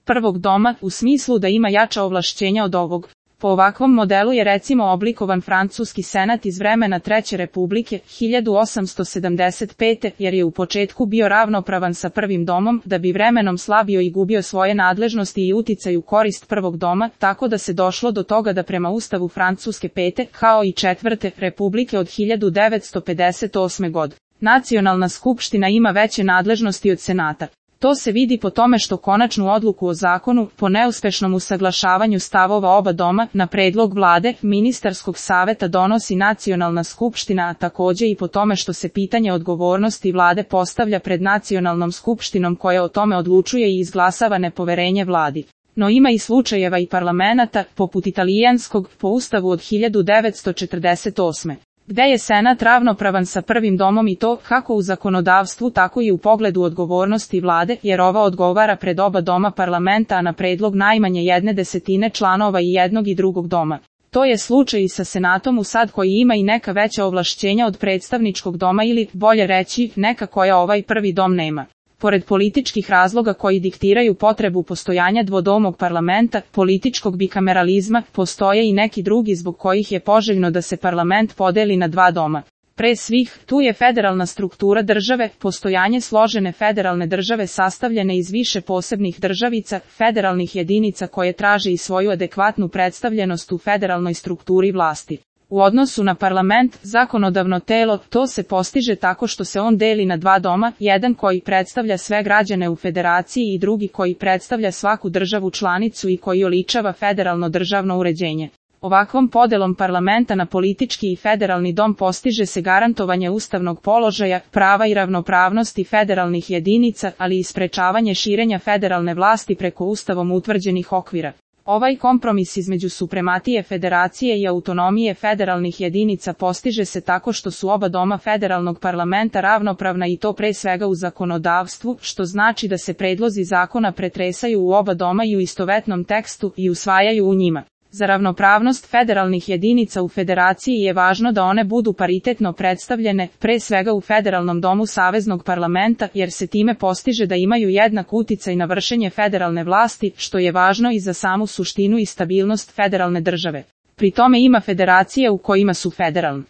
prvog doma, u smislu da ima jača ovlašćenja od ovog. Po ovakvom modelu je recimo oblikovan francuski senat iz vremena Treće republike, 1875. jer je u početku bio ravnopravan sa prvim domom, da bi vremenom slabio i gubio svoje nadležnosti i uticaj u korist prvog doma, tako da se došlo do toga da prema ustavu Francuske pete, kao i Četvrte republike od 1958. godine, Nacionalna skupština ima veće nadležnosti od senata. To se vidi po tome što konačnu odluku o zakonu, po neuspešnom usaglašavanju stavova oba doma, na predlog vlade, ministarskog saveta donosi Nacionalna skupština, a takođe i po tome što se pitanje odgovornosti vlade postavlja pred Nacionalnom skupštinom koja o tome odlučuje i izglasava nepoverenje vladi. No ima i slučajeva i parlamenata, poput italijanskog, po ustavu od 1948. gde je senat ravnopravan sa prvim domom i to, kako u zakonodavstvu tako i u pogledu odgovornosti vlade, jer ova odgovara pred oba doma parlamenta, a na predlog najmanje 1/10 članova i jednog i drugog doma. To je slučaj i sa senatom u sad koji ima i neka veća ovlašćenja od predstavničkog doma ili, bolje reći, neka koja ovaj prvi dom nema. Pored političkih razloga koji diktiraju potrebu postojanja dvodomog parlamenta, političkog bikameralizma, postoje i neki drugi zbog kojih je poželjno da se parlament podeli na dva doma. Pre svih, tu je federalna struktura države, postojanje složene federalne države sastavljene iz više posebnih državica, federalnih jedinica koje traže i svoju adekvatnu predstavljenost u federalnoj strukturi vlasti. U odnosu na parlament, zakonodavno telo, to se postiže tako što se on deli na dva doma, jedan koji predstavlja sve građane u federaciji i drugi koji predstavlja svaku državu članicu i koji oličava federalno državno uređenje. Ovakvom podelom parlamenta na politički i federalni dom postiže se garantovanje ustavnog položaja, prava i ravnopravnosti federalnih jedinica, ali i sprečavanje širenja federalne vlasti preko ustavom utvrđenih okvira. Ovaj kompromis između suprematije federacije i autonomije federalnih jedinica postiže se tako što su oba doma federalnog parlamenta ravnopravna i to pre svega u zakonodavstvu, što znači da se predlozi zakona pretresaju u oba doma i u istovetnom tekstu i usvajaju u njima. Za ravnopravnost federalnih jedinica u federaciji je važno da one budu paritetno predstavljene, pre svega u federalnom domu saveznog parlamenta, jer se time postiže da imaju jednak uticaj na vršenje federalne vlasti, što je važno i za samu suštinu i stabilnost federalne države. Pri tome ima federacije u kojima su federalne